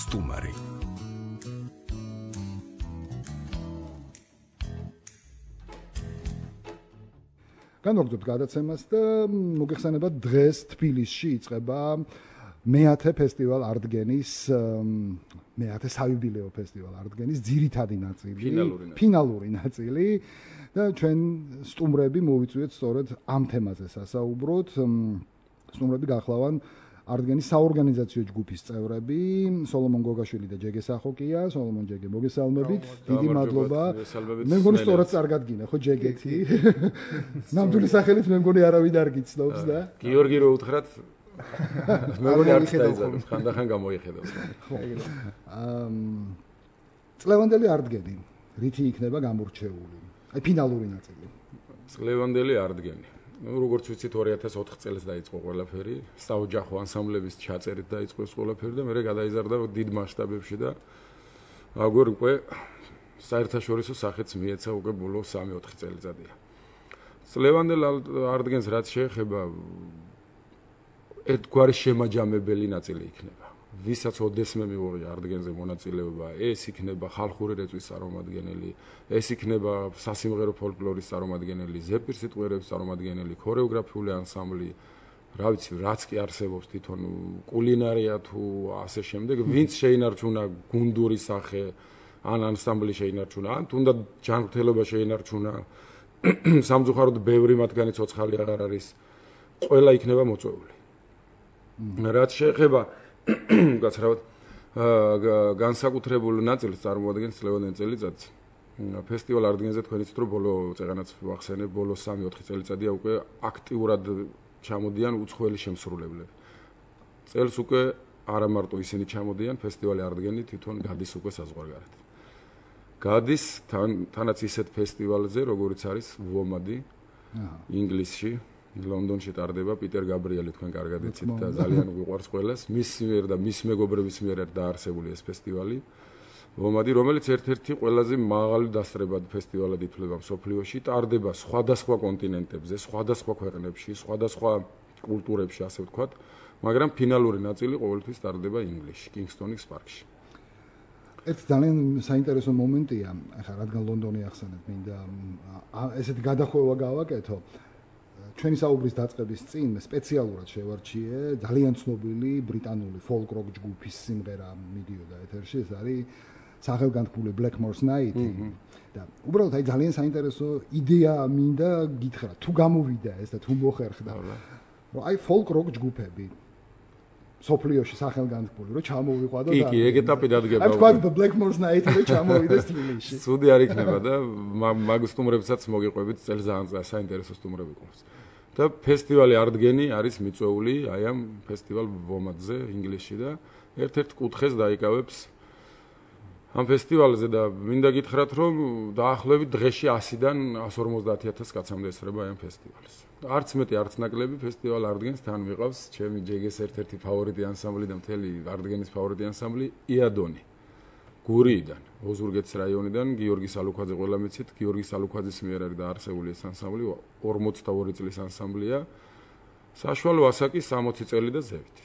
სტუმარი. განვაგრძობთ გადაცემას და მოგეხსენებათ დღეს თბილისში იწყება მეათე ფესტივალ არტგენის მეათე საიუბილეო ფესტივალ არტგენის ძირითადი ნაწილი, ფინალური ნაწილი და ჩვენ სტუმრები მოვიწვიეთ სწორედ ამ თემაზე სასაუბროთ. სტუმრები გახლავან არტგენის საორგანიზაციო ჯგუფის წევრები, სოლომონ გოგაშვილი და ჯეგე სახოკია. სოლომონ, ჯეგე, მოგესალმებით. დიდი მადლობა. მე მგონი სწორად წარგადგინა, ხო, ჯეგეთი? ნამდვილი სახელით მე მგონი არავინ არ გიცნობს და გიორგი რო უთხრათ მე მგონი არ დაიძაბეს, ხანდახან გამოიხედავს. წლევანდელი არტგენი რითი იქნება გამორჩეული? აი ფინალური ნაწილი. წლევანდელი არტგენი. როგორც ვიცით 2004 წელს დაიწყო ყველაფერი, საოჯახო ანსამბლების ჩაწერით დაიწყო ეს ყველაფერი და მე გადაიზარდა დიდ მასშტაბებში და აგერ უკვე საერთაშორისო სახეც მიეცა უკვე ბოლო 3-4 წელიწადია. წლევანდელ არტგენს რაც შეეხება ერთგვარი შემაჯამებელი ნაწილი იქნება. ვისაც ოდესმე მიუღია არტგენზე მონაწილეობა, ეს იქნება ხალხური რეწვის წარმომადგენელი, ეს იქნება სასიმღერო ფოლკლორის წარმომადგენელი, ზეპირ სიტყვიერების წარმომადგენელი, ქორეოგრაფიული ანსამბლი, რა ვიცი, რაც კი არსებობს თვითონ კულინარია თუ ასე შემდეგ, ვინც შეინარჩუნა გუნდური სახე, ან ანსამბლი შეინარჩუნა, ან თუნდაც ჯანმრთელობა შეინარჩუნა, სამწუხაროდ ბევრი მათგანი ცოცხალი აღარ არის, ყველა იქნება მოწვეული. რაც შეეხება გაცრავად განსაკუთრებულ ნაწილს წარმოადგენს წლევანდელი წელიწადი. ფესტივალ არტგენზე თქვენ იცით რომ ბოლო წეგანაც ვახსენებ, ბოლო 3-4 წელიწადია უკვე აქტიურად ჩამოდიან უცხოელი შემსრულებლები. წელს უკვე არა მარტო ისინი ჩამოდიან, ფესტივალი არტგენი თვითონ გადის უკვე საზღვარგარეთ. გადის თანაც ისეთ ფესტივალზე, როგორც არის ვომადი ინგლისში. ლონდონში ტარდება პიტერ გაბრიელი თქვენ კარგად იცით და ძალიან უყვარს ყველას. მის მიერ და მის მეგობრების მიერ დაარსებული ეს ფესტივალი ვომადი, რომელიც ერთ-ერთი ყველაზე მაღალი დასწრებად ფესტივალად ითვლება მსოფლიოში, ტარდება სხვადასხვა კონტინენტებზე, სხვადასხვა ქვეყნებში, სხვადასხვა კულტურებში, ასე ვთქვათ, მაგრამ ფინალური ნაწილი ყოველთვის ტარდება ინგლისში, კინგსტონის პარკში. ერთ ძალიან საინტერესო მომენტია, ახლა რადგან ლონდონი ახსენეთ, მინდა ესეთი გადახვევა გავაკეთო. ჩვენი საუბრის დაწყების წინ სპეციალურად შევარჩიე ძალიან ცნობილი ბრიტანული folk-rock ჯგუფის სიმღერა მიდიოდა ეთერში, ეს არის სახელგანთქმული Blackmore's Night და უბრალოდ აი ძალიან საინტერესო იდეა მინდა გითხრათ, თუ გამოვიდა ეს და თუ მოხერხდა, რომ აი folk-rock ჯგუფები სოფლიოში სახელგანთქმული რომ ჩამოვიყვა და კი, ეგ ეტაპი დადგება. აი თქვა Blackmore's Night რომ ჩამოვიდეს თბილისში. სუდი არ იქნება და მაგ სტუმრებსაც მოგიყვებით, წელს ძალიან საინტერესო სტუმრები ყავს. და ფესტივალი არტგენი არის მიწვეული აი ამ ფესტივალ ვომადზე ინგლისში და ერთ-ერთ კუთხეს დაიკავებს ამ ფესტივალზე და მინდა გითხრათ რომ დაახლოებით დღეში 100-დან 150,000 კაცამდე ესწრება ამ ფესტივალს. არც მეტი არც ნაკლები ფესტივალ არტგენს თან მიყავს ჩემი ჯეგეს ერთ-ერთი ფავორიტი ანსამბლი და მთელი არტგენის ფავორიტი ანსამბლი იადონი. გურიიდან, ოზურგეთის რაიონიდან, გიორგი სალუქვაძე ყველა მიცით, გიორგი სალუქვაძის მიერ არის დაარსებული ეს ანსამბლი, 42 წლის ანსამბლია. საშუალო ასაკი 60 წელი და ზევით.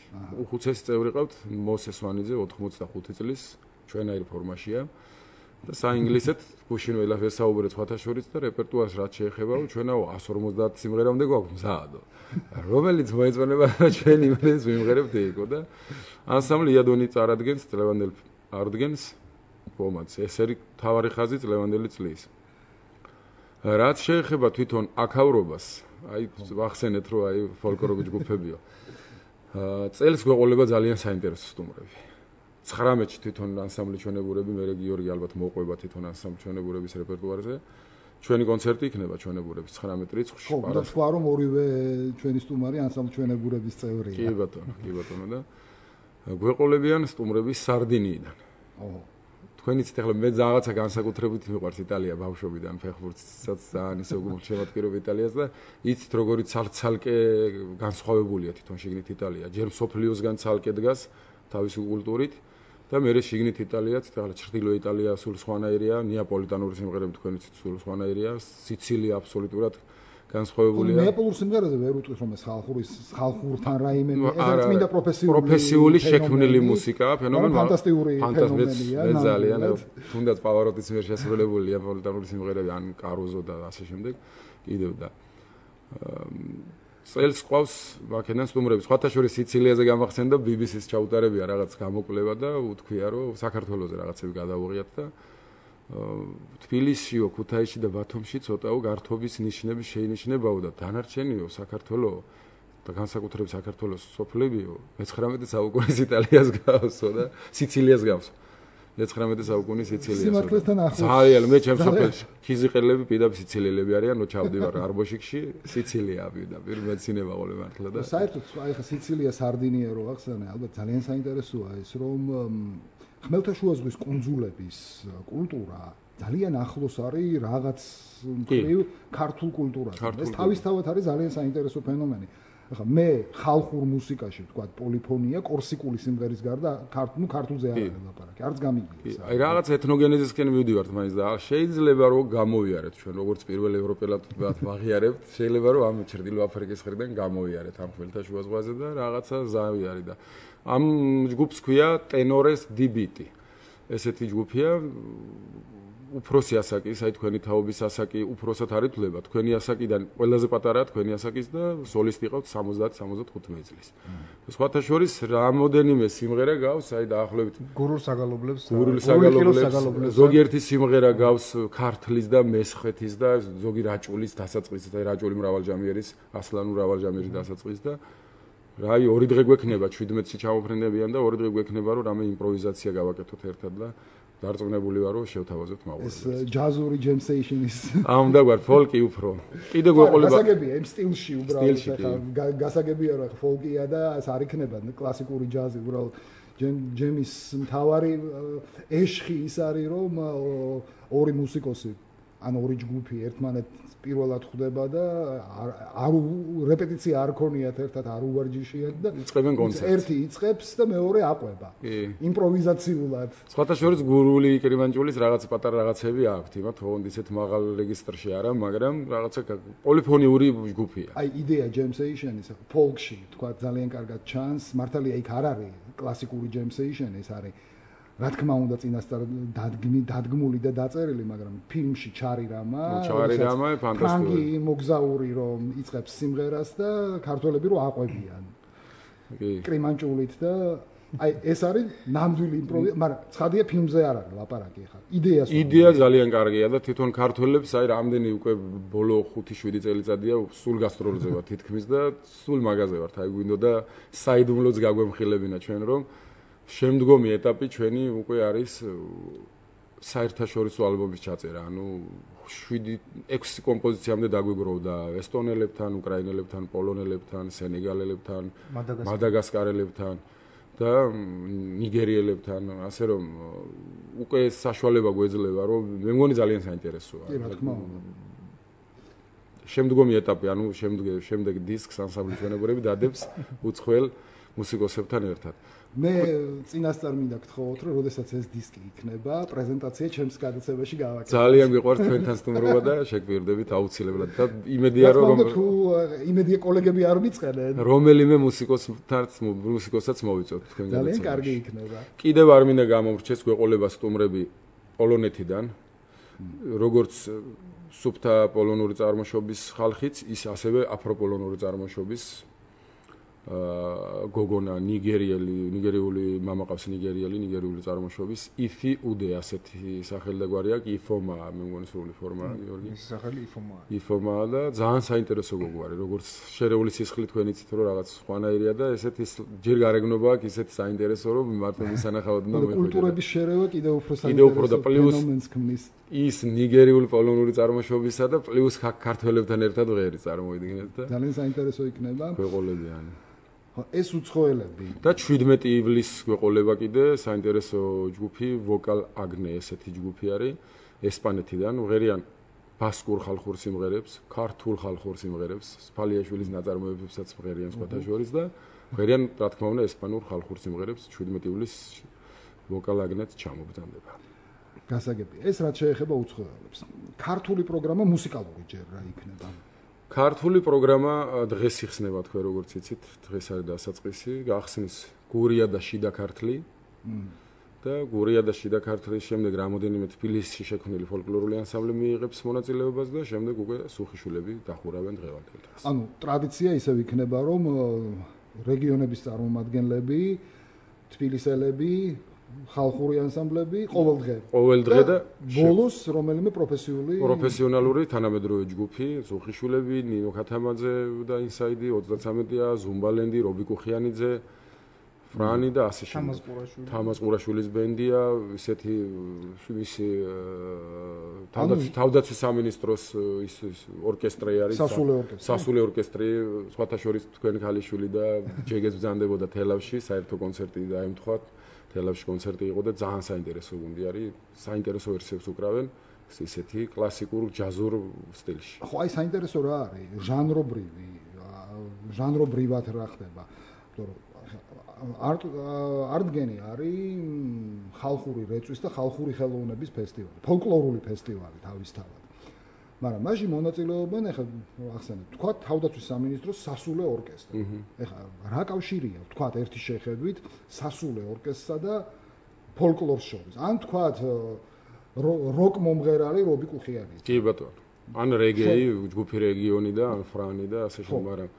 უხუცესი წევრი ყავთ მოსეს ვანიძე 85 წლის, ჩვენაირ ფორმაშია. და საინგლისეთ გუშინ ვესაუბრეთ სხვათა შორის და რეპერტუარს რაც შეეხება, ჩვენაო 150 სიმღერამდე გვაქვს მზადო. რომელიც მოეწონება ჩვენი იმენს ვიმღერებთ იქო და ანსამბლი იადონი წარადგენს წლევანდელ არტგენს ვომადს. ეს არის თავარი ხაზი წლევანდელი წლის. რაც შეეხება თვითონ აქაურობას, აი ვახსენეთ რომ აი ფოლკლორული ჯგუფებიო. წელს გვეყოლება ძალიან საინტერესო სტუმრები. 19-ში თვითონ ანსამბლი ჩვენებურები, მე გიორგი ალბათ მოყვება თვითონ ანსამბლი ჩვენებურების რეპერტუარზე. ჩვენი კონცერტი იქნება ჩვენებურების 19 რიცხვში. ხო, და სხვა რომ ორივე ჩვენი სტუმარი ანსამბლი ჩვენებურების წევრია. კი ბატონო და გვეყოლებიან სტუმრები სარდინიიდან. ოჰო. თქვენ იცით ახლა მე რაღაცა განსაკუთრებით მიყვარს იტალია ბავშვობიდან, ფეხბურთსაც ძალიან ისე შემატკივრობ იტალიას და იცით როგორი ცალკე განსხვავებულია თვითონ შიგნით იტალია. ჯერ მსოფლიოსგან ცალკე დგას თავისი კულტურით და მერე შიგნით იტალიაც, ახლა ჩრდილო იტალია სულ სხვანაირია, ნეაპოლიტანური სიმღერები თქვენ იცით სულ სხვანაირია, სიცილია აბსოლუტურად განსხვავებულია. ნეაპოლურ სიმღერაზე ვერ უტყვის რომ ეს ხალხურთან რაიმე ეს წმინდა პროფესიული შექმნილი მუსიკაა, ფენომენი ფანტასტიკური ფენომენია. ძალიან თუნდაც პავაროტის მიერ შესრულებულია პოლიტიკური სიმღერები ან კარუზო და ასე შემდეგ კიდევ და წელს ყავს მაქედან სტუმრები. სხვათა შორის სიცილიაზე გამახსენდა BBC-ს ჩაუტარებია რაღაც გამოკვლევა და უთქვია რომ საქართველოზე რაღაცები გადავუღიათ და თბილისშიო, ქუთაისში და ბათუმში ცოტაო გართობის ნიშნები შეინიშნებაო და დანარჩენიო საქართველო და განსაკუთრებით საქართველოს სოფლებიო 19 საუკუნის იტალიას გავსო და სიცილიას გავსო. 19 საუკუნის სიცილიას. სიმართლესთან ახლოს. ძალიან მე ჩემს სოფელში ქიზიყელები პირდაპირ სიცილიელები არიან, ჩავდივარ არბოშიკში, სიცილია პირდაპირ მეცინება ყოლე მართლა და საერთოდ აი ხა სიცილია სარდინია რო ახსენე, ალბათ ძალიან საინტერესოა ეს რომ ხმელთაშუა ზღვის კუნძულების კულტურა ძალიან ახლოს არის რაღაც მხრივ ქართულ კულტურასთან. ეს თავისთავად არის ძალიან საინტერესო ფენომენი. ახლა მე ხალხურ მუსიკაში ვთქვა პოლიფონია, კორსიკული სიმღერის გარდა ქართულზე არ არის ლაპარაკი, არც გამიგია. აი რაღაც ეთნოგენეზისკენ მივდივართ მაინც და შეიძლება რომ გამოვიარეთ ჩვენ როგორც პირველ ევროპელად ვაღიარებთ, შეიძლება რომ ამ ჩრდილო აფრიკის ხრიდან გამოვიარეთ ამ ხმელთაშუა ზღვაზე და რაღაცა ზავი არის და ამ ჯგუფს ქვია ტენორეს დი-ბიტი. ესეთი ჯგუფია უფროსი ასაკის, აი თქვენი თაობის ასაკი უფროსად არ ითვლება. თქვენი ასაკიდან ყველაზე პატარაა თქვენი ასაკის და სოლისტი ყავთ 70-75 წლის. სხვათა შორის რამოდენიმე სიმღერა გავს, აი დაახლოებით გურულ საგალობლებს, ზოგიერთი სიმღერა გავს ქართლის და მესხეთის და ზოგი რაჭულის დასაწყისით, აი რაჭული მრავალჯამიერის, ასლანურ მრავალჯამიერის დასაწყისით და რაი 2 დღე გვექნება 17-ში ჩამოფრენდებიან და 2 დღე გვექნება რომ რამე იმპროვიზაცია გავაკეთოთ ერთად და დარწმუნებული ვარ რომ შევთავაზოთ მაყურებლებს. ეს ჯაზური ჯემსეიშნის ამ და გვარ ფოლკი უფრო. კიდე გვეყოლება გასაგებია იმ სტილში უბრალოდ ხა გასაგებია რომ ხა ფოლკია და ეს არ იქნება კლასიკური ჯაზი უბრალოდ ჯემის მთავარი ეშხი ის არის რომ ორი მუსიკოსი ან ორი ჯგუფი ერთმანეთს პირველად ხვდება და არ რეპეტიცია არ ქონიათ ერთად არ უვარჯიშიათ და იწყებენ კონცერტს. ერთი იწყებს და მეორე აყვება. იმპროვიზაციულად. სხვათა შორის გურული კრიმანჭულის რაღაც პატარა რაღაცები აქვთ, იმათ თქო ისეთ მაღალ რეგისტრში არა, მაგრამ რაღაცა პოლიფონიური ჯგუფია. აი იდეა ჯემსეიშენის ფოლკში თქვა ძალიან კარგად ჩანს, მართალია იქ არ არის კლასიკური ჯემსეიშენი, ეს არის რა თქმა უნდა წინასწარ დადგმული და დაწერილი, მაგრამ ფილმში ჩარი რამა ფანტასტიკური. ფრანგი მოგზაური რომ იწყებს სიმღერას და ქართველები რომ აყვებიან. კრიმანჭულით და აი ეს არის ნამდვილი იმპროვიზაცია, მაგრამ ცხადია ფილმზე არ არის ლაპარაკი ხა. იდეა ძალიან კარგია და თვითონ ქართველებს აი რამდენი უკვე ბოლო 5-7 წელიწადია სულ გასტროლზე ვარ თითქმის და სულ მაღაზე ვართ. აი გვინდოდა საიდუმლოც გაგვემხილებინა ჩვენ რომ შემდგომი ეტაპი ჩვენი უკვე არის საერთაშორისო ალბომის ჩაწერა. ანუ 7-6 კომპოზიციამდე დაგვიგროვდა ესტონელებთან, უკრაინელებთან, პოლონელებთან, სენეგალელებთან, მადაგასკარელებთან და ნიგერიელებთან, ასე რომ უკვე საშუალება გვეძლება, რომ მე მგონი ძალიან საინტერესოა. კი, რა თქმა უნდა. შემდგომი ეტაპი, ანუ შემდეგ დისკს ანსამბლის ჩვენებურები დადებს უცხოელ მუსიკოსებთან ერთად. მე წინასწარ მინდა გთხოვოთ, რომ როდესაც ეს დისკი იქნება, პრეზენტაცია ჩემს გადაცემაში გავაკეთოთ. ძალიან გიყვართ თქვენთან სტუმრობა და შეგვირდებით აუცილებლად და იმედია რომ იმედია კოლეგები არ მიწყენენ. რომელიმე მუსიკოსაც მოვიწოთ თქვენ გადაცემაში. ძალიან კარგი იქნება. კიდევ არ მინდა გამომრჩეს გვეყოლება სტუმრები პოლონეთიდან. როგორც სუფთა პოლონური წარმოშობის ხალხიც, ის ასევე აფროპოლონური წარმოშობის გოგონა ნიგერიული მამაყავს ნიგერიული წარმოშობის იფი უდე ასეთი სახელი და გვარი აქვს იფომა მე მგონი სრული ფორმა გიორგი ის სახელი იფომაა და ძალიან საინტერესო გოგო არის როგორც შერეული სისხლი თქვენ იცით რომ რაღაც სხვანაირია და ესეთი ჯერ გარეგნობა აქვს ისეთი საინტერესო რომ მარტო მისანახავად უნდა მოიხვიდე კულტურების შერევა კიდევ უფრო საინტერესო ფენომენს ქმნის ის ნიგერიული პოლონური წარმოშობისა და პლუს ქართველებთან ერთად ღერი წარმოიდგინეთ და ძალიან საინტერესო იქნება გვეყოლებიან ეს უცხოელები და 17 ივლისს გვეყოლება კიდე საინტერესო ჯგუფი ვოკალ აგნე ესეთი ჯგუფი არის ესპანეთიდან ღერიან ბასკურ ხალხურ სიმღერებს ქართულ ხალხურ სიმღერებს სფალიაშვილის ნაწარმოებებსაც ღერიან სხვათა შორის და ღერიან რა თქმა უნდა ესპანურ ხალხურ სიმღერებს 17 ივლისს ვოკალ აგნეც ჩამოგზავნება გასაგებია ეს რაც შეეხება უცხოელებს ქართული პროგრამა მუსიკალური ჯერ რა იქნება ქართული პროგრამა დღეს იხსნება თქვენ როგორც იცით, დღეს არის დასაწყისი, გახსნის გურია და შიდა ქართლი. და გურია და შიდა ქართლის შემდეგ რამოდენიმე თბილისში შექმნილი ფოლკლორული ანსამბლი მიიღებს მონაწილეობას და შემდეგ უკვე სუხიშვილები დახურავენ დღევანდელ დღეს. ანუ ტრადიცია ისევ იქნება, რომ რეგიონების წარმომადგენლები, თბილისელები, ხალხური ანსამბლები ყოველ დღე და ბოლოს რომელიმე პროფესიონალური თანამედროვე ჯგუფი, სუხიშვილები, ნინო ქათამაძე და ინსაიდი 33-ია, ზუმბალენდი, რობი კუხიანიძე, ფრანი და ასე შემდეგ. თამაზ ყურაშვილის ბენდია, ისეთი მისი თავდაცვის სამინისტროს ის ორკესტრი არის, სასულე ორკესტრი, სხვათა შორის თქვენ ქალიშვილი და ჯეგეც ბრძანდებოდა თელავში, საერთო კონცერტი დაემთხვა. თელავში კონცერტი იყო და ძალიან საინტერესო გუნდი არის, საინტერესო ვერსიებს უკრავენ ისეთი კლასიკურ ჯაზურ სტილში. ხო, აი საინტერესო რა არის, ჟანრობრივად რა ხდება. არტგენი არის ხალხური რეწვის და ხალხური ხელოვნების ფესტივალი, ფოლკლორული ფესტივალი თავისთავად. მაგრამ მაშინ მონაწილეობენ, ეხლა ახსენეთ, თქვა თავდაცვის სამინისტროს სასულე ორკესტრი. ეხლა რა კავშირია, თქვა ერთი შეხედვით სასულე ორკესტრსა და ფოლკლორს შორის. ან თქვა როკ მომღერალი რობი კუხიანი. კი ბატონო. ან რეგეი, ჯგუფი რეგიონი და ან ფრანი და ასე შემდეგ, მაგრამ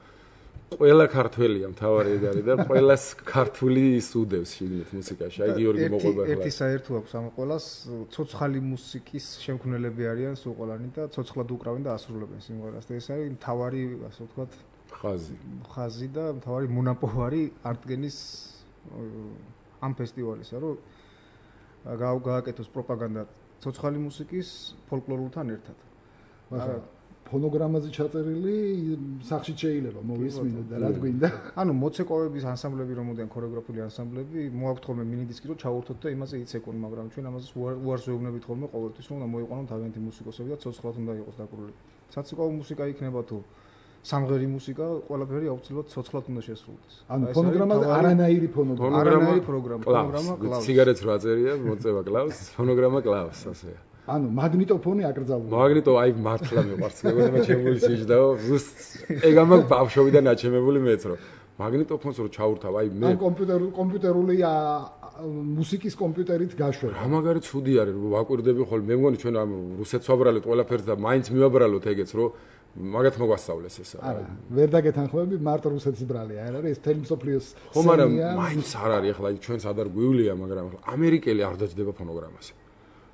ყველა ქართველია მთავარი ეგ არის და ყველას ქართული ისუდევს შიგნით მუსიკაში. აი გიორგი მოყვება ხლა. ერთი საერთო აქვს ამ ყველას, ცოცხალი მუსიკის შემქმნელები არიან სულ ყველანი და ცოცხლად უკრავენ და ასრულებენ სიმღერას. და ეს არის მთავარი, ასე ვთქვათ, ხაზი და მთავარი მონაპოვარი არტგენის ამ ფესტივალისა, რომ გააკეთოს პროპაგანდა ცოცხალი მუსიკის ფოლკლორულთან ერთად. ფონოგრამაზე ჩაწერილი სახში შეიძლება მოვისმინოთ და რა გვინდა. ანუ მოცეკვავების ანსამბლები რომოდიან ქორეოგრაფიული ანსამბლები, მოაქვთ ხოლმე მინი დისკი რომ ჩაურთოთ და იმაზე იცეკონ, მაგრამ ჩვენ ამაზე უარს ვეუბნებით ხოლმე ყოველთვის რომ მოიყვანონ თავიანთი მუსიკოსები და ცოცხლად უნდა იყოს დაკრული. საცეკვაო მუსიკა იქნება თუ სამღერი მუსიკა, ყველაფერი აუცილებლად ცოცხლად უნდა შესრულდეს. ანუ ფონოგრამაზე არანაირი პროგრამა, კლავს. სიგარეტს რა წერია, მოწევა კლავს, ფონოგრამა კლავს, ასეა. ანუ მაგნიტოფონი აკრძალულია. აი მართლა მიყვარს, მეგონა ჩემული სიჯდაო, ზუსტ ეგ ამაკ ბავშვობიდან აჩემებული მეც რომ მაგნიტოფონს რო ჩაურთავ, აი მე კომპიუტერული მუსიკის კომპიუტერით გაშვება. რა მაგარი ცუდი არის, რომ ვაკვირდები ხოლმე, მე მგონი ჩვენ ამ რუსეთს ვაბრალეთ ყველაფერს და მაინც მივაბრალოთ ეგეც, რომ მაგათ მოგვასწავლეს ეს. არა, ვერ დაგეთანხმები, მარტო რუსეთის ბრალია, არ არის ეს თელმსოფლიოს. ხო, მაგრამ მაინც არ არის, ახლა ჩვენს ადარ გვივლია, მაგრამ ამერიკელი არ დაჯდება ფონოგრამაზე.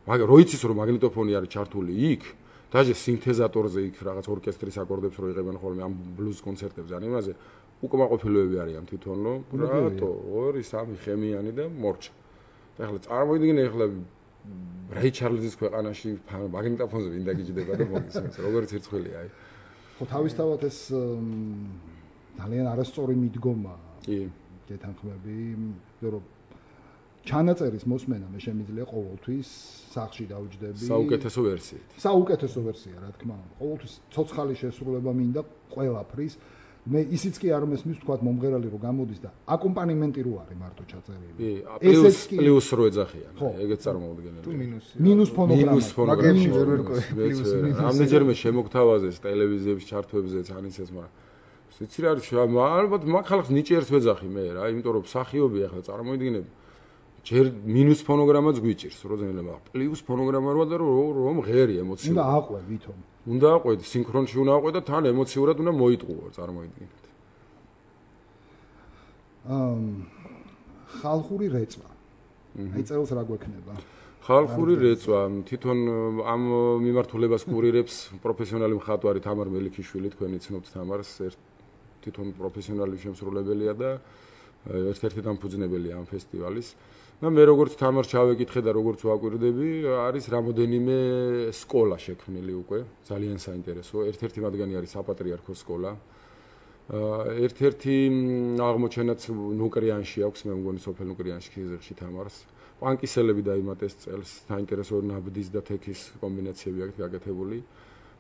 მაგრამ როიცის რომ მაგნიტოფონი არის ჩართული იქ, დაჟე სინთეზატორზე იქ რაღაც ორკესტრის აკორდებს რო იღებენ ხოლმე ამ ბლუზ კონცერტებზე, ან იმაზე უკმაყოფილოები არიან თვითონ, რომ რატო 2-3 ხემიანი და მორჩა. და ახლა წარმოიდგინე ახლა რაი ჩარლზის ქვეყანაში მაგნიტოფონზე ვინ დაგიჯდება და მოგისმენს, როგორც ერთხელია აი. ხო, თავისთავად ეს ძალიან არასწორი მიდგომა. კი, გეთანხმები, რომ ჩანაწერის მოსმენა მე შემიძლია ყოველთვის სახში დავჯდები. საუკეთესო ვერსიით. საუკეთესო ვერსია, რა თქმა უნდა. ყოველთვის ცოცხალი შესრულება მინდა ყველაფრის. მე ისიც კი არ მესმის თქვა მომღერალი რო გამოდის და აკომპანიმენტი რო არის მარტო ჩაწერილი. პლუს რო ეძახიან. ეგეც წარმოუდგენელი. თუ მინუსი. მინუს ფონოგრამა. მაგებში ვერ პლუს მინუს. ამდენჯერმე შემოგთავაზეს ტელევიზიების ჩართვებზეც ანიცეს, მაგრამ ვიცი რა არის, ალბათ მაგ ხალხს ნიჭიერს ვეძახი მე რა, იმიტომ რომ მსახიობი ახლა წარმოიდგინე ჯერ მინუს ფონოგრამაც გვიჭირს, როძენელა პლუს ფონოგრამა როა და რომ ღერი ემოციურად. უნდა აყვე ვითომ. უნდა აყვე, სინქრონში უნდა აყვე და თან ემოციურად უნდა მოიტყუო, წარმოიდგინეთ. ხალხური რეწვა. აი წელს რა გვექნება? ხალხური რეწვა, თვითონ ამ მიმართულებას კურირებს პროფესიონალი მხატვარი თამარ მელიქიშვილი, თქვენი ცნობთ თამარს, თვითონ პროფესიონალი შემსრულებელია და ერთ-ერთი დამფუძნებელია ამ ფესტივალის. და მე როგორც თამარ ჩავეკითხე და როგორც ვაკვირდები, არის რამოდენიმე სკოლა შექმნილი უკვე, ძალიან საინტერესო. ერთ-ერთი მათგანი არის საპატრიარქოს სკოლა. ერთ-ერთი აღმოჩენაც ნუკრიანში აქვს, მე მგონი სოფელ ნუკრიანში ქიზერში თამარს. პანკისელები დაიმატეს წელს, საინტერესო ნაბდის და თექის კომბინაციები აქვს გაკეთებული.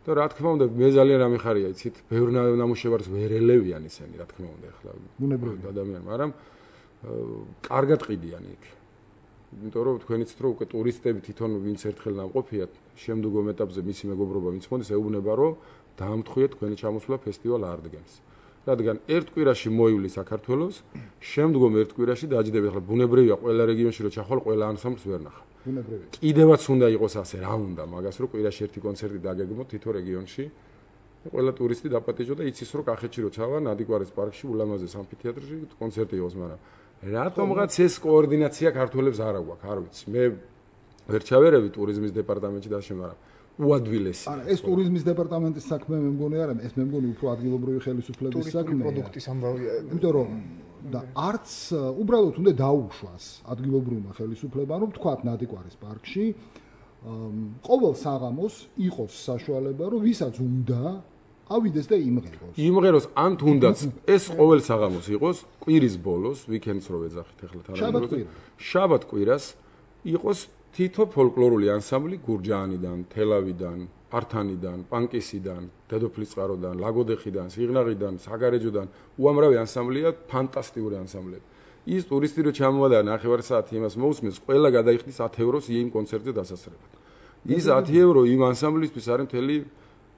და რა თქმა უნდა, მე ძალიან ამეხარია, იცით, ბევრ ნამუშევარს ვერ ელევიან ისინი, რა თქმა უნდა, ახლა ბუნებრივია ადამიანი, მაგრამ კარგად ყიდიან იქ. იმიტომ რომ თქვენიც რომ უკვე ტურისტები თვითონ ვინც ერთხელ ნამყოფიათ, შემდგომ ეტაპზე მისი მეგობრობა ვინც მოდის, ეუბნება რომ დაამთხვიეთ თქვენი ჩამოსვლა ფესტივალ არდგენს. რადგან ერთ კვირაში მოივლი საქართველოს, შემდგომ ერთ კვირაში დაჯდები. ახლა ბუნებრივია ყველა რეგიონში რომ ჩახვალ, ყველა ანსამბლს ვერ ნახა. ბუნებრივია. კიდევაც უნდა იყოს ასე, რა უნდა, მაგას რომ კვირაში ერთი კონცერტი დაგეგმოთ თითო რეგიონში. ყველა ტურისტი დაპატიჟო და იცის რომ კახეთში რო ჩავა, ნადიგვარის პარკში, ულამაზეს ამფითეატრში კონცერტი იყოს, მაგრამ რატომღაც ეს კოორდინაცია ქართველებს არ აქვს, არ ვიცი. მე ვერ ჩავერევი ტურიზმის დეპარტამენტში და ასე, მაგრამ უადვილესი. არა, ეს ტურიზმის დეპარტამენტის საქმე მე მგონი არა, ეს მე მგონი უფრო ადგილობრივი ხელისუფლების საქმეა. პროდუქტის ამბავია. იმიტომ რომ და არც უბრალოდ უნდა დაუშვას ადგილობრივმა ხელისუფლებამ, რომ თქვათ ნადიგვარის პარკში ყოველ საღამოს იყოს საშუალება, რომ ვისაც უნდა ავიდეს და იმღეროს. იმღეროს ან თუნდაც ეს ყოველ საღამოს იყოს, კვირის ბოლოს, ვიკენდს რო ეძახით ახლა თანამედროვე. შაბათ კვირას იყოს თითო ფოლკლორული ანსამბლი გურჯაანიდან, თელავიდან, ართანიდან, პანკისიდან, დედოფლისწყაროდან, ლაგოდეხიდან, სიღნაღიდან, საგარეჯოდან, უამრავი ანსამბლია, ფანტასტიკური ანსამბლები. ის ტურისტი რო ჩამოვა და ნახევარსაათი იმას მოусმენს, ყველა გადაიხდის 10 ევროს იმ კონცერტზე დასასრებად. ის 10 евро იმ ანსამბლისთვის არის მთელი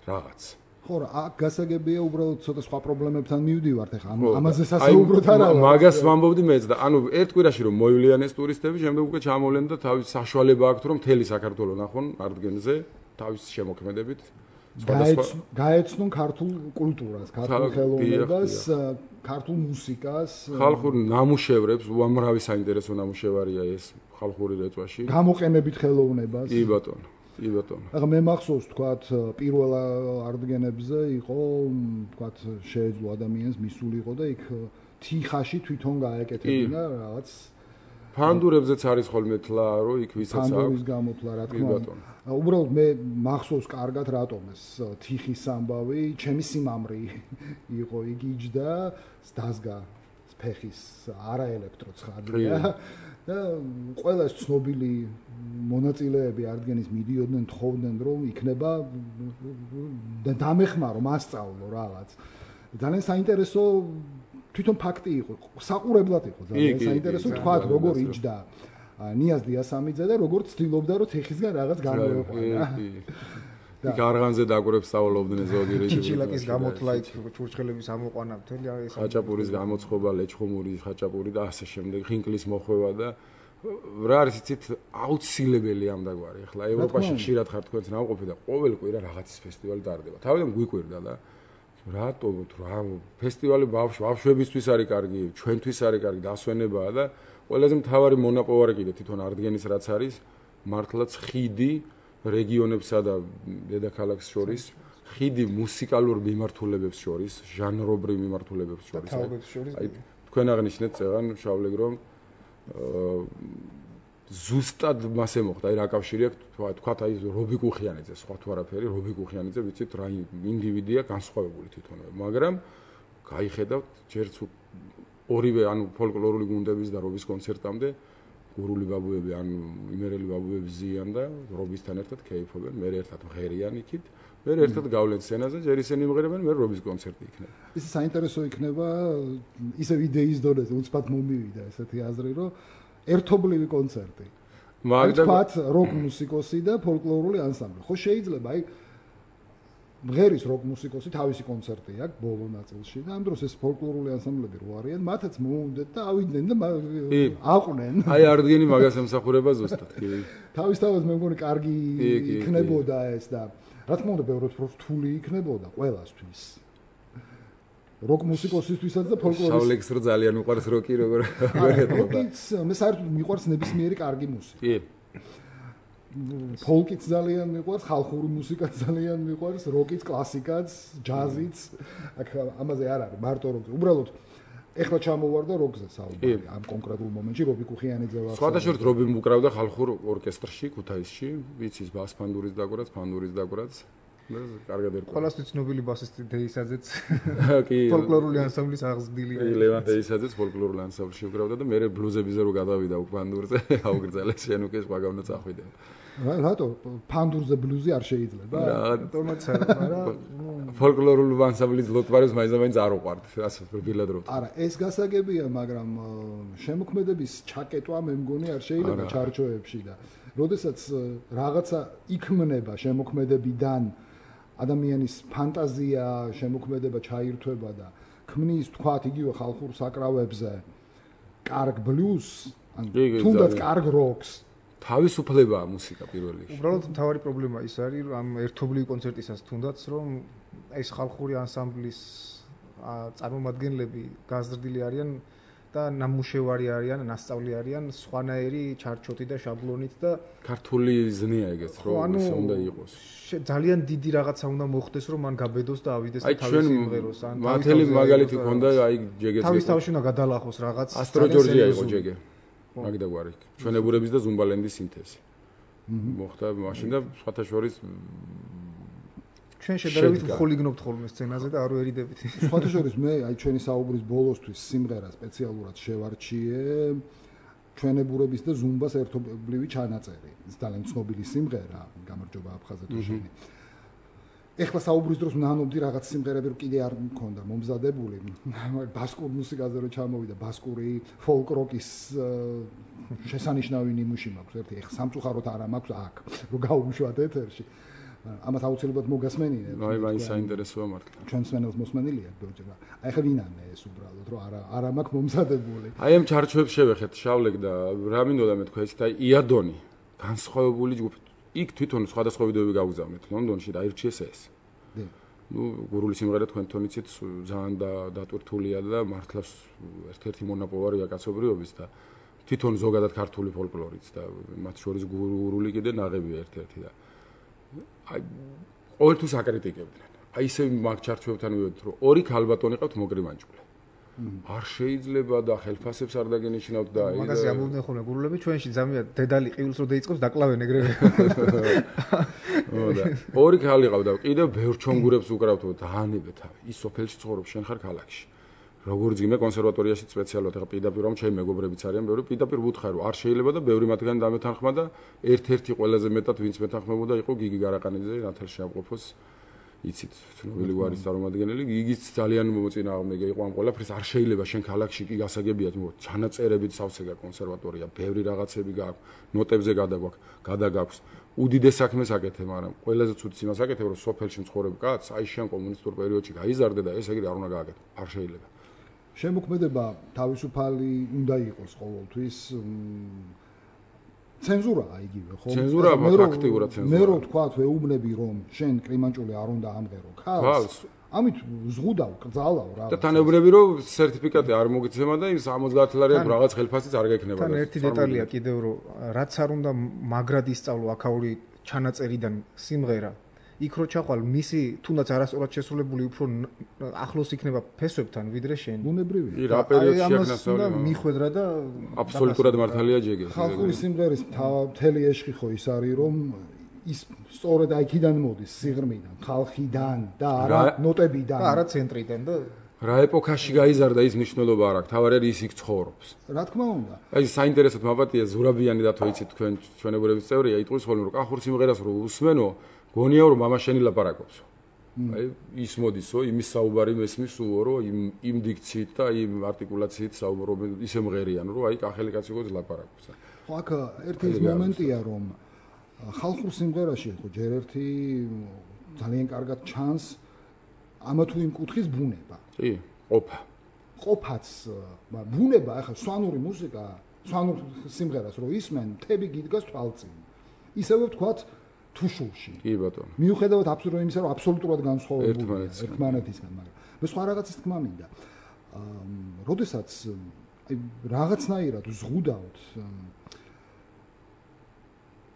რაღაც. ხო რა, აქ გასაგებია უბრალოდ ცოტა სხვა პრობლემებთან მივდივართ ახლა. ამაზე სასაუბროთ არა. მაგას ვამბობდი მეც და ანუ ერთ კვირაში რომ მოივლიან ეს ტურისტები, შემდეგ უკვე ჩამოვლენ და თავის საშუალება აქვთ რომ მთელი საქართველო ნახონ არდგენზე თავის შემოქმედებით. გაეცნონ ქართულ კულტურას, ქართულ ხელოვნებას, ქართულ მუსიკას, ხალხურ ნამუშევრებს, უამრავი საინტერესო ნამუშევარია ეს ხალხური რეწვაში. გამოყენებით ხელოვნებას. კი ბატონო. კი ბატონო. ახლა მე მახსოვს თქვათ პირველ არდგენებზე იყო თქვათ შეეძლო ადამიანს მისული იყო და იქ თიხაში თვითონ გაეკეთებინა რაღაც ფანდურებზეც არის ხოლმე თლა რომ იქ ვისაც აქვს ფანდურის გამოთლა რა თქმა უნდა. უბრალოდ მე მახსოვს კარგად რატომ ეს თიხის ამბავი ჩემი სიმამრი იყო იქ იჯდა დაზგა ფეხის არაელექტრო ცხადია და ყველა ეს ცნობილი მონაწილეები არდგენის მიდიოდნენ თხოვდნენ რომ იქნება და დამეხმარო მასწავლო რაღაც ძალიან საინტერესო თვითონ ფაქტი იყო საყურებლად იყო ძალიან საინტერესო თქვა როგორ იჯდა ნიაზ დიასამიძე და როგორ ცდილობდა რომ თიხისგან რაღაც გამოეყვანა იქ არღანზე დაგვრებს სწავლობდნენ ზოგი რეჟიმი ჩიჩილაკის გამოთლა იქ ჩურჩხელების ამოყვანა მთელი ეს ხაჭაპურის გამოცხობა ლეჩხუმური ხაჭაპური და ასე შემდეგ ხინკლის მოხვევა და რა არის იცით აუცილებელი ამ დაგვარი ახლა ევროპაში ხშირად ხარ თქვენს ნამყოფი და ყოველ კვირა რაღაცის ფესტივალი ტარდება თავიდან გვიკვირდა და რატო რა ფესტივალი ბავშვებისთვის არის კარგი ჩვენთვის არის კარგი დასვენებაა და ყველაზე მთავარი მონაპოვარი კიდე თვითონ არდგენის რაც არის მართლაც ხიდი რეგიონებსა და დედაქალაქს შორის ხიდი მუსიკალურ მიმართულებებს შორის ჟანრობრივ მიმართულებებს შორის აი თქვენ აღნიშნეთ წეღან შავლეგ რომ ზუსტად მასე მოხდა აი რა კავშირი აქვს თქვათ აი რობი კუხიანიძე სხვა თუ არაფერი რობი კუხიანიძე ვიცით რა ინდივიდია განსხვავებული თვითონვე მაგრამ გაიხედავთ ჯერც ორივე ანუ ფოლკლორული გუნდების და რობის კონცერტამდე გურული ბაბუები ან იმერელი ბაბუები ზიან და რობისთან ერთად კეიფობენ მე ერთად მღერიან იქით მე ერთად გავლენ სცენაზე ჯერ ისინი იმღერებენ მე რობის კონცერტი იქნება ის საინტერესო იქნება ისე იდეის დონეზე უცბად მომივიდა ესეთი აზრი რომ ერთობლივი კონცერტი მაგათ როკ მუსიკოსი და ფოლკლორული ანსამბლი ხო შეიძლება აი მღერის როკ მუსიკოსი თავისი კონცერტი აქვს ბოლო ნაწილში და ამ დროს ეს ფოლკლორული ანსამბლები რო არიან მათაც მოუნდათ და ავიდნენ და აყვნენ აი არდგენი მაგას ემსახურება ზუსტად კი თავისთავად მე მგონი კარგი იქნებოდა ეს და რა თქმა უნდა ბევრად რთული იქნებოდა ყველასთვის როკ მუსიკოსისთვისაც და ფოლკლორის შავლეგს რო ძალიან მიყვარს როკი როგორ როკიც მე საერთოდ მიყვარს ნებისმიერი კარგი მუსიკა კი ფოლკიც ძალიან მიყვარს, ხალხური მუსიკაც ძალიან მიყვარს, როკიც, კლასიკაც, ჯაზიც. აქ ამაზე არ არის მარტო როკი. უბრალოდ ეხლა ჩამოვარდა როკზე საუბარი ამ კონკრეტულ მომენტში რობი კუხიანიძე ვახშობ. სხვადასხვა რობი უკრავდა ხალხურ ორკესტრში, ქუთაისში, ვიცის ბას ფანდურის დაგვარაც, ფანდურის დაგვარაც. კარგად ერკვევა. ყველასთვის ცნობილი ბასისტი დეისაძეც ფოლკლორული ანსამბლის აღზრდილია. ლევან დეისაძეც ფოლკლორული ანსამბლში უკრავდა და მე ბლუზებზე რო გადავიდა უკ ფანდურზე, აუგრძელეს შენ უკვე სხვა გავნო წახვიდე. რატო ფანდურზე ბლუზი არ შეიძლება? რატომაც არა, მაგრამ ფოლკლორული ანსამბლის ლოტვარებს მაინც არ უყვართ, ასე ბილადრობთ. არა, ეს გასაგებია, მაგრამ შემოქმედების ჩაკეტვა მე მგონი არ შეიძლება ჩარჩოებში და როდესაც რაღაცა იქმნება შემოქმედებიდან ადამიანის ფანტაზია, შემოქმედება ჩაირთვება და ქმნის თქვათ იგივე ხალხურ საკრავებზე კარგ ბლუზს, ან თუნდაც კარგ როკს, თავისუფლებაა მუსიკა პირველ რიგში. უბრალოდ მთავარი პრობლემა ის არის, რომ ამ ერთობლივი კონცერტისას თუნდაც რომ ეს ხალხური ანსამბლის წარმომადგენლები გაზრდილი არიან და ნამუშევარი არიან, ნასწავლი არიან სხვანაირი ჩარჩოთი და შაბლონით და ქართული ზნეა ეგეც რომ ისე უნდა იყოს. ძალიან დიდი რაღაცა უნდა მოხდეს რომ მან გაბედოს და ავიდეს და თავის იმღეროს ან მათელი მაგალითი ქონდა აი ჯეგეც თავის თავში უნდა გადალახოს რაღაც ასტრო ჯორჯია იყო ჯეგე მაგდაგვარი ჩვენებურების და ზუმბალენდის სინთეზი მოხდა მაშინ და სხვათა შორის ჩვენ შედარებით მხოლიგნობთ ხოლმე სცენაზე და არ ვერიდებით. სხვათა შორის მე აი ჩვენი საუბრის ბოლოსთვის სიმღერა სპეციალურად შევარჩიე ჩვენებურების და ზუმბას ერთობლივი ჩანაწერი. ეს ძალიან ცნობილი სიმღერა, გამარჯობა აფხაზე თუ შენი. ეხლა საუბრის დროს ვნანობდი რაღაც სიმღერები რომ კიდე არ მქონდა მომზადებული. ბასკურ მუსიკაზე რომ ჩამოვიდა, ბასკური ფოლკ როკის შესანიშნავი ნიმუში მაქვს ერთი. ეხლა სამწუხაროდ არა მაქვს აქ, რომ გავუშვათ ეთერში. ამათ აუცილებლად მოგასმენინებ. აი საინტერესოა მართლა. ჩვენ სმენელს მოსმენილია ბეჭდა. აი ხა ვინანე ეს უბრალოდ რომ არა მაქვს მომზადებული. აი ამ ჩარჩოებს შევეხეთ შავლეკ და რა მინდოდა მე თქვა ისეთ აი იადონი განსხვავებული ჯგუფი. იქ თვითონ სხვადასხვა ვიდეოები გავგზავნეთ ლონდონში და აირჩიეს ეს. ნუ გურული სიმღერა თქვენ თონიცით ძალიან დატვირთულია და მართლა ერთ-ერთი მონაპოვარია კაცობრიობის და თვითონ ზოგადად ქართული ფოლკლორიც და მათ შორის გურული კიდე ნაღებია ერთ-ერთი და აი ყოველთვის აკრიტიკებდნენ. აი ისე მაგ ჩარჩოებთან მივედით რომ ორი ქალბატონი ყავთ მოგრიმანჯულე. არ შეიძლება და ხელფასებს არ დაგენიშნავთ და აი მაგაზე ამბობდნენ ხოლმე გურულები ჩვენში ძამია დედალი ყივილს რო დაიწყებს დაკლავენ ეგრევე. ოდა ორი ქალი ყავდა კიდე ბევრ ჩონგურებს უკრავთო დაანებე თავი. ის სოფელში ცხოვრობ შენ ხარ ქალაქში. როგორც იმე კონსერვატორიაში სპეციალურად ახლა პირდაპირ რომ ჩემი მეგობრებიც არიან ბევრი პირდაპირ ვუთხარ რომ არ შეიძლება და ბევრი მათგანი დამეთანხმა და ერთ-ერთი ყველაზე მეტად ვინც მეთანხმებოდა იყო გიგი გარაყანიძე ნათელ შეამყოფოს იცით ცნობილი გვარის წარმომადგენელი გიგიც ძალიან მოწინააღმდეგე იყო ამ ყველაფრის არ შეიძლება შენ ქალაქში კი გასაგებია თუმცა ჩანაწერებით სავსე კონსერვატორია ბევრი რაღაცები გააქვს ნოტებზე გადაგაქვს უდიდეს საქმეს აკეთე მაგრამ ყველაზე ცუდს იმას აკეთებ რომ სოფელში მცხოვრებ კაცს აი შენ კომუნისტურ პერიოდში გაიზარდე და ეს ეგრე არ უნდა გააკეთო არ შეიძლება შემოქმედება თავისუფალი უნდა იყოს ყოველთვის ცენზურაა იგივე ხო? ცენზურა ფაქტიურად ცენზურა. მე რო თქვა ვეუბნები რომ შენ კრიმანჭული არ უნდა ამღერო ქალს. ამით ზღუდავ, კრძალავ რა. და თანებრები რომ სერტიფიკატი არ მოგიცემა და იმ 70 ლარიან რაღაც ხელფასიც არ გექნება. თან ერთი დეტალია კიდევ რომ რაც არ უნდა მაგრად ისწავლო აქაური ჩანაწერიდან სიმღერა იქ რო ჩახვალ მისი თუნდაც არასწორად შესრულებული უფრო ახლოს იქნება ფესვებთან ვიდრე შენ. ბუნებრივია. კი რა პერიოდში აქნასწავლე. მიხვედრა და აბსოლუტურად მართალია ჯეგე. ხალხური სიმღერის მთელი ეშხი ხო ის არის რომ ის სწორედ აიქიდან მოდის სიღრმიდან, ხალხიდან და არა ნოტებიდან. და არა ცენტრიდან და რა ეპოქაში გაიზარდა ის მნიშვნელობა არ აქვს. თავარი ის იქ ცხოვრობს. რა თქმა უნდა. აი საინტერესოდ მაპატია ზურაბიანი და თოიცით თქვენ ჩვენებურების წევრია იტყვის ხოლმე რომ კახურ სიმღერას რო უსმენო გონია რომ мама შენი ლაპარაკობსო. აი ის მოდისო, იმის საუბარი მესმისო რომ იმ დიქციით და იმ არტიკულაციით საუბრობენ ისე მღერიან რომ აი კახელი კაცი გოც ლაპარაკობს. ხო აქ ერთი მომენტია რომ ხალხურ სიმღერაში ხო ჯერ ერთი ძალიან კარგად ჩანს ამა თუ იმ კუთხის ბუნება. კი, ყოფა. ყოფაც ბუნება, ახლა სვანური მუსიკა, სვანურ სიმღერას რო ისმენ, მთები გიდგას თვალწინ. ისევე ვთქვათ თუშულში. კი ბატონო. მიუხედავად აბსოლუტურად იმისა, რომ აბსოლუტურად განსხვავებულია ერთმანეთისგან, მაგრამ მე სხვა რაღაცის თქმა მინდა. როდესაც აი რაღაცნაირად ზღუდავთ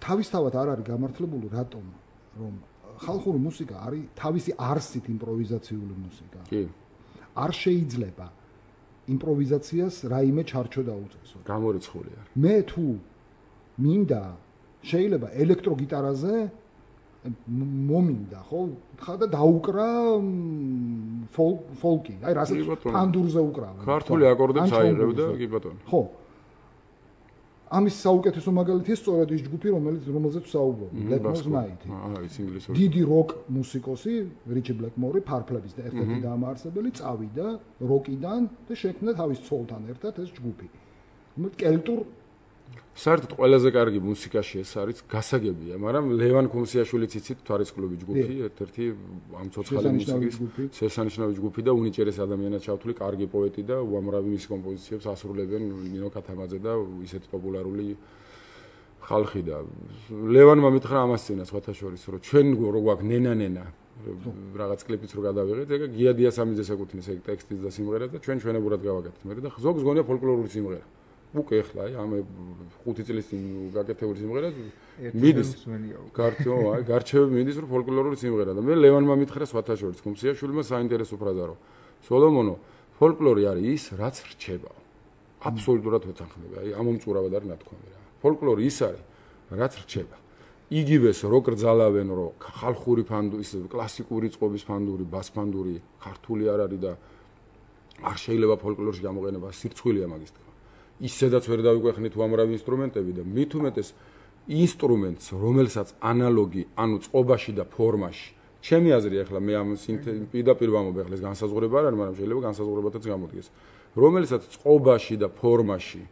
თავისთავად არ არის გამართლებული რატომ რომ ხალხური მუსიკა არის თავისი არსით იმპროვიზაციული მუსიკა. კი. არ შეიძლება იმპროვიზაციას რაიმე ჩარჩო დაუწესო. გამორიცხული არის. მე თუ მინდა შეიძლება ელექტროგიტარაზე მომინდა ხო ხა და დაუკრა ფოლკი აი რასაც პანდურზე უკრავენ ქართული აკორდებს აიღებდა კი ბატონო ხო ამის საუკეთესო მაგალითია სწორედ ის ჯგუფი რომელზეც საუბრობ Blackmore's Night ის ინგლისური დიდი როკ მუსიკოსი რიჩი ბლეკმორი ფარფლების და ერთ-ერთი დამაარსებელი წავიდა როკიდან და შექმნა თავის ცოლთან ერთად ეს ჯგუფი კელტურ საერთოდ ყველაზე კარგი მუსიკაში ეს არის გასაგებია, მაგრამ ლევან ქუმსიაშვილიც იცით თვარისკლუბი ჯგუფი, ერთ-ერთი ამ ცოცხალი მუსიკის შესანიშნავი ჯგუფი და უნიჭერეს ადამიანად ჩავთვლი, კარგი პოეტი და უამრავი მის კომპოზიციებს ასრულებენ ნინო ქათამაძე და ისეთი პოპულარული ხალხი და ლევანმა მითხრა ამას წინა სხვათა შორის, რომ ჩვენ რო გვაქვს ნენა რაღაც კლიპიც რო გადავიღეთ, ეგ გია დიასამიძეს ეკუთვნის ეგ ტექსტიც და სიმღერა და ჩვენ ჩვენებურად გავაკეთეთ. მე და ზოგს გონია ფოლკლორული სიმღერა. უკვე ახლა აი ამ 5 წლის წინ გაკეთებული სიმღერა მიდის გარჩევები მიდის რომ ფოლკლორული სიმღერა და მე ლევანმა მითხრა სხვათა შორის ქუმსიაშვილმა საინტერესო ფრაზა რომ სოლომონო ფოლკლორი არის ის რაც რჩება აბსოლუტურად ვეთანხმები აი ამომწურავად არის ნათქვამი რა ფოლკლორი ის არის რაც რჩება იგივეს რო კრძალავენ რომ ხალხური ფანდური ის კლასიკური წყობის ფანდური ბასფანდური ქართული არ არის და არ შეიძლება ფოლკლორში გამოყენება სირცხვილია მაგის ისედაც ვერ დავიკვეხნით უამრავი ინსტრუმენტები და მით უმეტეს ინსტრუმენტს რომელსაც ანალოგი ანუ წყობაში და ფორმაში ჩემი აზრი ახლა მე ამ პირდაპირ ვამბობ ახლა ეს განსაზღვრება არ არის მაგრამ შეიძლება განსაზღვრებათაც გამოდგეს რომელსაც წყობაში და ფორმაში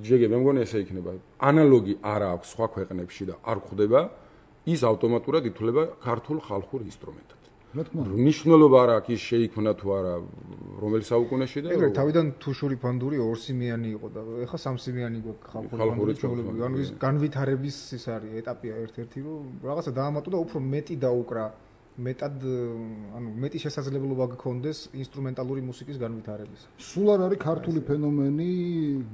ჯეგე მე მგონი ესე იქნება ანალოგი არ აქვს სხვა ქვეყნებში და არ გვხვდება ის ავტომატურად ითვლება ქართულ ხალხურ ინსტრუმენტად ნიშნულობა არ აქვს ის შეიქმნა თუ არა რომელი საუკუნეში და ეგრე თავიდან თუშური ფანდური ორსიმიანი იყო და ეხლა სამსიმიანი გვაქვს ხალხური ჩვეულებრივი ანუ ის განვითარების ის არის ეტაპია ერთ-ერთი რომ რაღაცა დაამატო და უფრო მეტი დაუკრა მეტად ანუ მეტი შესაძლებლობა გქონდეს ინსტრუმენტალური მუსიკის განვითარების სულ არ არის ქართული ფენომენი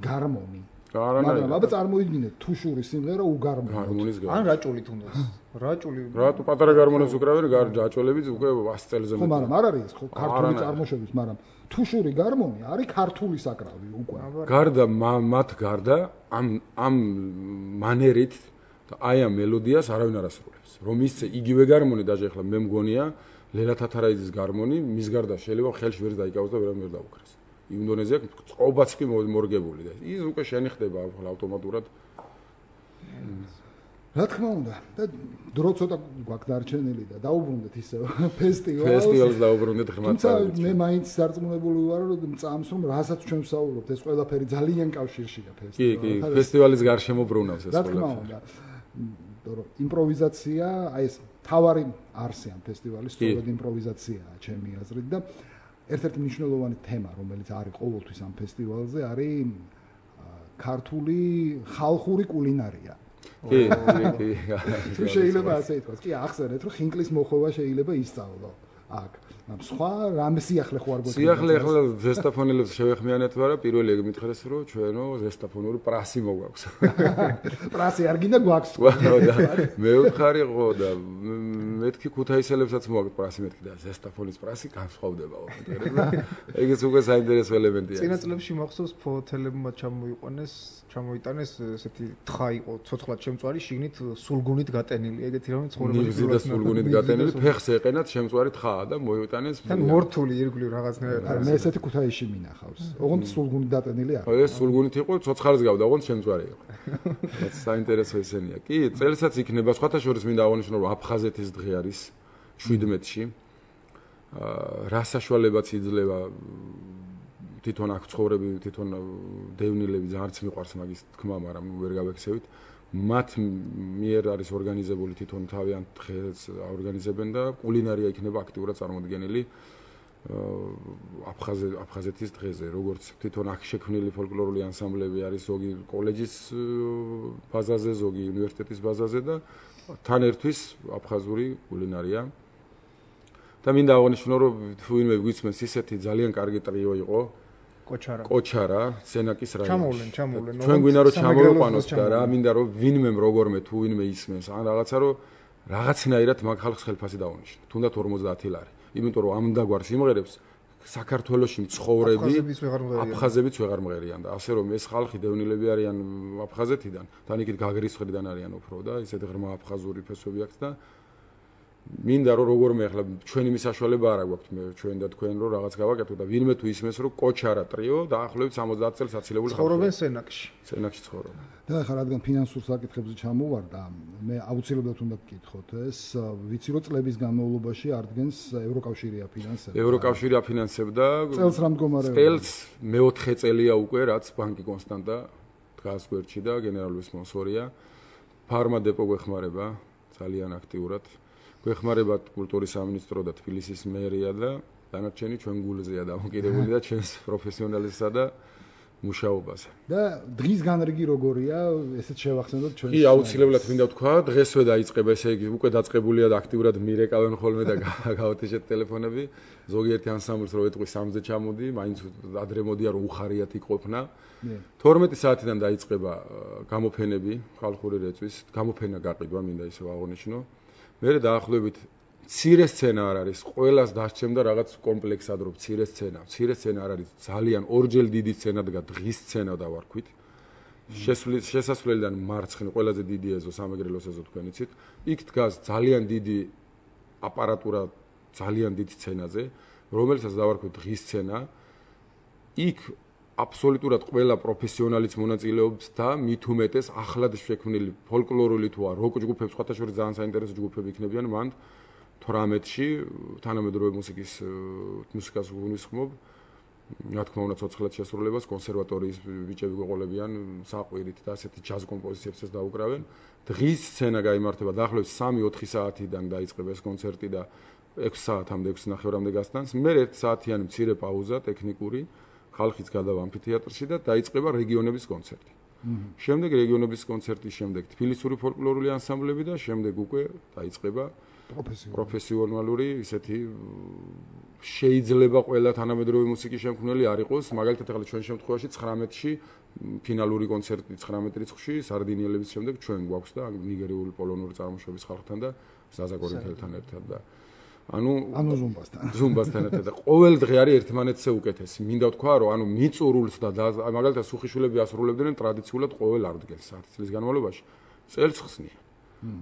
გარმონი მაგრამ აბა წარმოიდგინეთ თუშური სიმღერა უგარმონო ან რაჭული თუნდაც რაჭული რატო პატარა გარმონებს უკრავენ რაჭოლებიც უკვე 100 წელზე მეტი ხო მაგრამ არ არის ხო ქართული წარმოშობის მაგრამ თუშური გარმონი არის ქართული საკრავი უკვე გარდა მათ გარდა ამ მანერით აი ამ მელოდიას არავინ არ ასრულებს რომ ისე იგივე გარმონი დაჟე ახლა მე მგონია ლელა თათარაიძის გარმონი მის გარდა შეიძლება ხელში ვერ დაიკავოს და ვერავინ ვერ დაუკრას ინდონეზია წყობაც კი მორგებული და ის უკვე შენი ხდება ავტომატურად რა თქმა უნდა და დრო ცოტა გვაქვს დარჩენილი და დაუბრუნდეთ ისე ფესტივალს დაუბრუნდეთ ღმერთს თუმცა მე მაინც სარწმუნებული ვარ რომ წამს რომ რასაც ჩვენ ვსაუბრობთ ეს ყველაფერი ძალიან კავშირშია ფესტივალს კი ფესტივალის გარშემო ბრუნავს ეს ყველაფერი რა თქმა უნდა რომ იმპროვიზაცია აი ეს თავარი არსი ამ ფესტივალის სწორედ იმპროვიზაციაა ჩემი აზრით და ერთ-ერთი მნიშვნელოვანი თემა რომელიც არის ყოველთვის ამ ფესტივალზე არის ქართული ხალხური კულინარია კი თუ შეიძლება ასე ითქვას კი ახსენეთ რომ ხინკლის მოხოვა შეიძლება ისწავლო აქ ამ სხვა რამე სიახლე ხო არ გვექნება სიახლე ახლა ზესტაფონელებს შევეხმიანეთ ვარა პირველი ეგ მითხრეს რომ ჩვენო ზესტაფონური პრასი მოგვაქვს პრასი არ გინდა გვაქვს მე ვთხარი ხო და მეთქი ქუთაისელებსაც მოაქვს პრასი მეთქი და ზესტაფონის პრასი განსხვავდება ოღონდ და ეგეც უკვე საინტერესო ელემენტია წინა წლებში მახსოვს ფოთელებმა ჩამოიტანეს ესეთი თხა იყო ცოცხლად შემწვარი შიგნით სულგუნით გატენილი ეგეთი რამე ცხოვრებაში და სულგუნით გატენილი ფეხს ეყენათ შემწვარი თხაა და მოიტანეს თან მორთული ირგვლივ რაღაცნაირად მე ესეთი ქუთაისში მინახავს ოღონდ სულგუნით დატენილი არა ეს სულგუნით იყო ცოცხალს გავდა ოღონდ შემწვარი იყო რაც საინტერესო ესენია კი წელსაც იქნება სხვათა შორის მინდა აღნიშნო რომ აფხაზეთის დღე არის 17-ში რა საშუალებაც იძლევა თვითონ აქ ცხოვრები თვითონ დევნილები ძალიან მიყვარს მაგის თქმა მაგრამ ვერ გავექცევით მათ მიერ არის ორგანიზებული თვითონ თავიანთ დღეს ორგანიზებენ და კულინარია იქნება აქტიურად წარმოდგენილი აფხაზეთის დღეზე როგორც თვითონ აქ შექმნილი ფოლკლორული ანსამბლები არის ზოგი კოლეჯის ბაზაზე ზოგი უნივერსიტეტის ბაზაზე და თან ერთვის აფხაზური კულინარია და მინდა აღნიშნო რომ თუ ვინმე გვისმენს ისეთი ძალიან კარგი ტრიო იყო კოჩარა სენაკის რაიონში ჩამოვლენ ჩვენ გვინდა რომ ჩამოვიყვანოთ და რა მინდა რომ ვინმე როგორმე თუ ვინმე ისმენს ან რაღაცა რომ რაღაცნაირად მაგ ხალხს ხელფასი დაუნიშნო თუნდაც 50 ლარი იმიტომ რომ ამ დაგვარ სიმღერებს საქართველოში მცხოვრები აფხაზებიც ვეღარ მღერიან და ასე რომ ეს ხალხი დევნილები არიან აფხაზეთიდან თან იქით გაგრის მხრიდან არიან უფრო და ისეთი ღრმა აფხაზური ფესვები აქვს და მინდა რომ როგორმე ახლა ჩვენი მისაშვალება არ აქვს ჩვენ და თქვენ რომ რაღაც გავაკეთო და ვინმე თუ ისმეს რომ კოჩარა ტრიო დაახლოებით 70 წელს აცილებული ცხოვრობენ სენაკში. სენაკში ცხოვრობენ. და ახლა რადგან ფინანსურ საკითხებზე ჩამოვარდა, მე აუცილებლად უნდა გკითხოთ ეს, ვიცი რომ წლების განმავლობაში ადგენს ევროკავშირი აფინანსებდა. ევროკავშირი აფინანსებდა წელს რა მდგომარეობა? წელს მეოთხე წელია უკვე რაც ბანკი კონსტანტა დგას გვერდში და გენერალური სპონსორია. ფარმა დეპო გვეხმარება ძალიან აქტიურად. გვეხმარება კულტურის სამინისტრო და თბილისის მერია და დანარჩენი ჩვენ გულზეა დამოკიდებული და ჩვენს პროფესიონალიზმსა და მუშაობაზე. და დღის განრიგი როგორია, ესეც შევახსენოთ ჩვენ. კი, აუცილებლად მინდა ვთქვა, დღესვე დაიწყება, ესე იგი, უკვე დაწყებულია და აქტიურად მირეკავენ ხოლმე და გავათიშეთ ტელეფონები. ზოგიერთი ანსამბლს რო ეტყვი 3-ზე ჩამოდი, მაინც ადრე მოდია რომ უხარიათი ყოფნა. 12 საათიდან დაიწყება გამოფენები, ხალხური რეწვის, გამოფენა გაყიდვა, მინდა ისევ აღნიშნო. მერე დაახლოებით მცირე სცენა არ არის, ყველას დასჩემდა რაღაც კომპლექსად რომ მცირე სცენა. მცირე სცენა არ არის, ძალიან ორჯერ დიდი სცენა დგა, დღის სცენა დავარქვით. შესასვლელიდან მარცხნივ ყველაზე დიდი ეზო სამეგრელოს ეზო თქვენ იცით. იქ დგას ძალიან დიდი აპარატურა, ძალიან დიდ სცენაზე, რომელსაც დავარქვით დღის სცენა. იქ აბსოლუტურად ყველა პროფესიონალიც მონაწილეობს და მით უმეტეს ახლად შექმნილი ფოლკლორული თუ როკ ჯგუფებს, სხვათა შორის ძალიან საინტერესო ჯგუფები იქნებიან მანდ 18-ში თანამედროვე მუსიკას ვგულისხმობ. რა თქმა უნდა, ცოცხლად შესრულებას კონსერვატორიის ბიჭები გვეყოლებიან საყვირით და ასეთი ჯაზ კომპოზიციებსაც დაუკრავენ. დღის სცენა გაიმართება დაახლოებით 3-4 საათიდან დაიწყება ეს კონცერტი და 6 საათამდე 6:30-მდე გასტანს. მე 1 საათიანი მცირე პაუზა ტექნიკური ხალხიც გადავა ამფითეატრში და დაიწყება რეგიონების კონცერტი. შემდეგ რეგიონების კონცერტის შემდეგ თბილისური ფოლკლორული ანსამბლები და შემდეგ უკვე დაიწყება პროფესიონალური ისეთი შეიძლება ყველა თანამედროვე მუსიკის შემქმნელი არ იყოს, მაგალითად ახლა ჩვენ შემთხვევაში 19-ში ფინალური კონცერტი 19 რიცხვში სარდინიელების შემდეგ ჩვენ გვაქვს და ნიგერიული პოლონური წარმოშობის ხალხთან და ზაზა კორინთელთან ერთად და ანუ ზუმბასთან ერთად და ყოველ დღე არის ერთმანეთზე უკეთესი. მინდა ვთქვა რომ ანუ მიწურულს და მაგალითად სუხიშვილები ასრულებდნენ ტრადიციულად ყოველ არდგენს 10 წლის განმავლობაში წელს ხსნიან.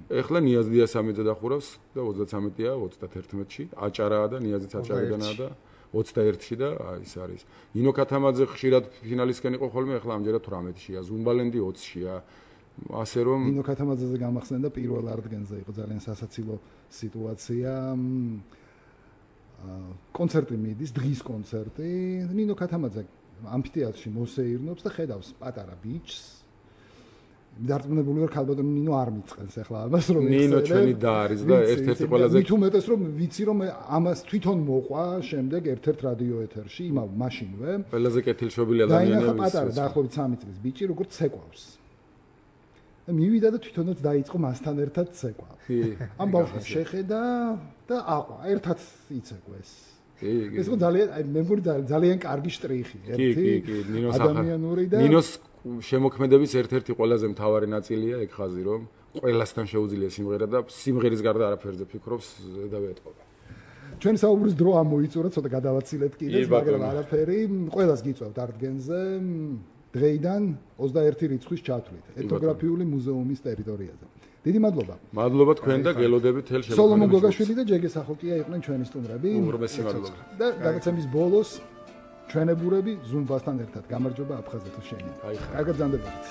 ეხლა ნიაზ დიასამიძე დახურავს და 33-ია 31-ში, აჭარაა და ნიაზიც აჭარიდანაა და 21-ში და ის არის. ნინო ქათამაძე ხშირად ფინალისკენ იყო ხოლმე, ეხლა ამჯერად 18-შია, ზუმბალენდი 20-შია. ასე რომ ნინო ქათამაძეზე გამახსენდა პირველ არდგენზე იყო ძალიან სასაცილო სიტუაცია. კონცერტი მიდის, დღის კონცერტი. ნინო ქათამაძე ამფითეატრში მოსეირნობს და ხედავს პატარა ბიჭს. დარწმუნებული ვარ ქალბატონი ნინო არ მიწყენს ახლა ამას რომ ნინო ჩვენი და არის და ერთ-ერთი ყველაზე მით უმეტეს რომ ვიცი რომ ამას თვითონ მოყვა შემდეგ ერთ-ერთ რადიო ეთერში იმავ მაშინვე ყველაზე კეთილშობილი ადამიანია და პატარა დაახლოებით 3 წლის ბიჭი როგორც ცეკვავს და მივიდა და თვითონაც დაიწყო მასთან ერთად ცეკვა ამ ბავშვს შეხედა და აყვა ერთად იცეკვეს ეს ძალიან მე მგონი ძალიან კარგი შტრიხი ერთი ადამიანური და ნინოს შემოქმედების ერთ-ერთი ყველაზე მთავარი ნაწილია ეგ ხაზი რომ ყველასთან შეუძლია სიმღერა და სიმღერის გარდა არაფერზე ფიქრობს და ვეტყობა. ჩვენ საუბრის დრო ამოიწურა, ცოტა გადავაცილეთ კიდეც, მაგრამ არაფერი, ყველას გიწევთ არდგენზე დღეიდან 21 რიცხვის ჩათვლით ეთნოგრაფიული მუზეუმის ტერიტორიაზე. დიდი მადლობა. მადლობა თქვენ და გელოდებით თელ შემოქმედებას. სოლომონ გოგაშვილი და ჯეგე სახოკია იყვნენ ჩვენი სტუმრები. უმრობესი მადლობა. და გადაცემის ბოლოს ჩვენებურები ზუმბასთან ერთად გამარჯობა აფხაზეთო შენი. კარგად ზანდებოდით.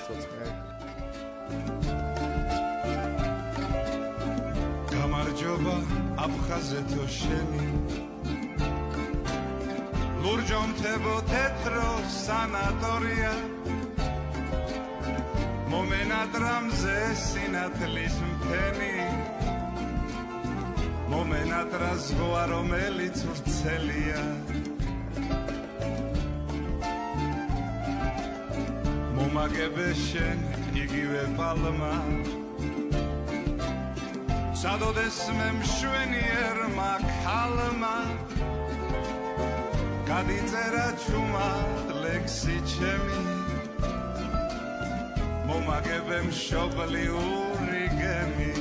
გამარჯობა აფხაზეთო შენი. ლურჯონთებო თეთრო სანატორია. მომენატრამზე სინათლის მთენი. მომენატრა ზღვა რომელიც ვრცელია. მომაგებე შენ იგივე პალმა სადოდეს მე მშვენიერმა ქალმა გადიწერა ჩუმად ლექსი ჩემი მომაგებე მშობლიური გემი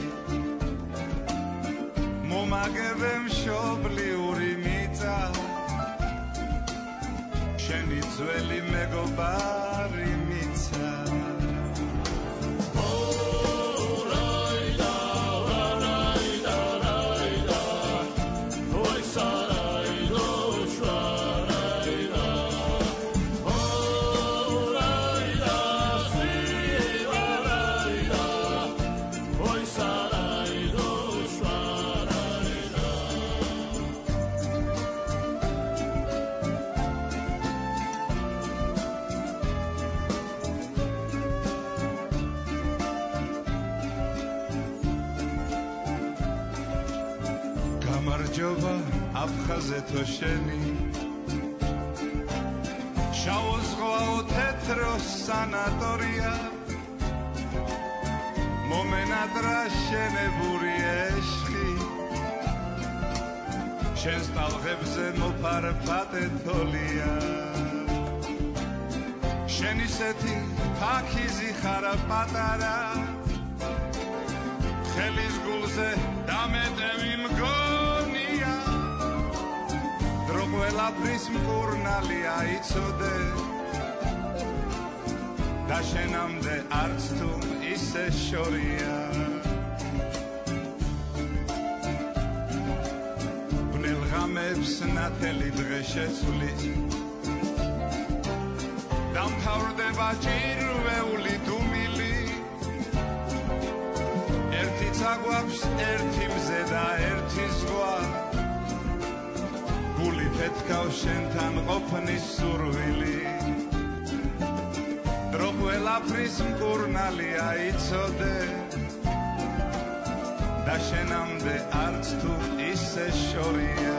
მომაგებე მშობლიური მიწა შენი ძველი მეგობარი ბიჯობა აფხაზე თო შენი შავო ზღვაო თეთრო სანატორია მომენატრა შენებური ეშხი შენს ტალღებზე მოფარფატე თოლია შენისეთი ფაქიზი ხარა პატარა ხელის გულზე დამეტევი მგონია დრო ყველაფრის მკურნალია იცოდე და შენამდე არც თუ ისე შორია ბნელღამებს ნათელი დღე შეცვლით დამთავრდება ჭირვეული დუმილი ერთი წაგვაქვს ერთი მზე და ერთი ზღვა გული ფეთქავს შენთან ყოფნის სურვილი დრო ყველაფრის მკურნალია იცოდე და შენამდე არც თუ ისე შორია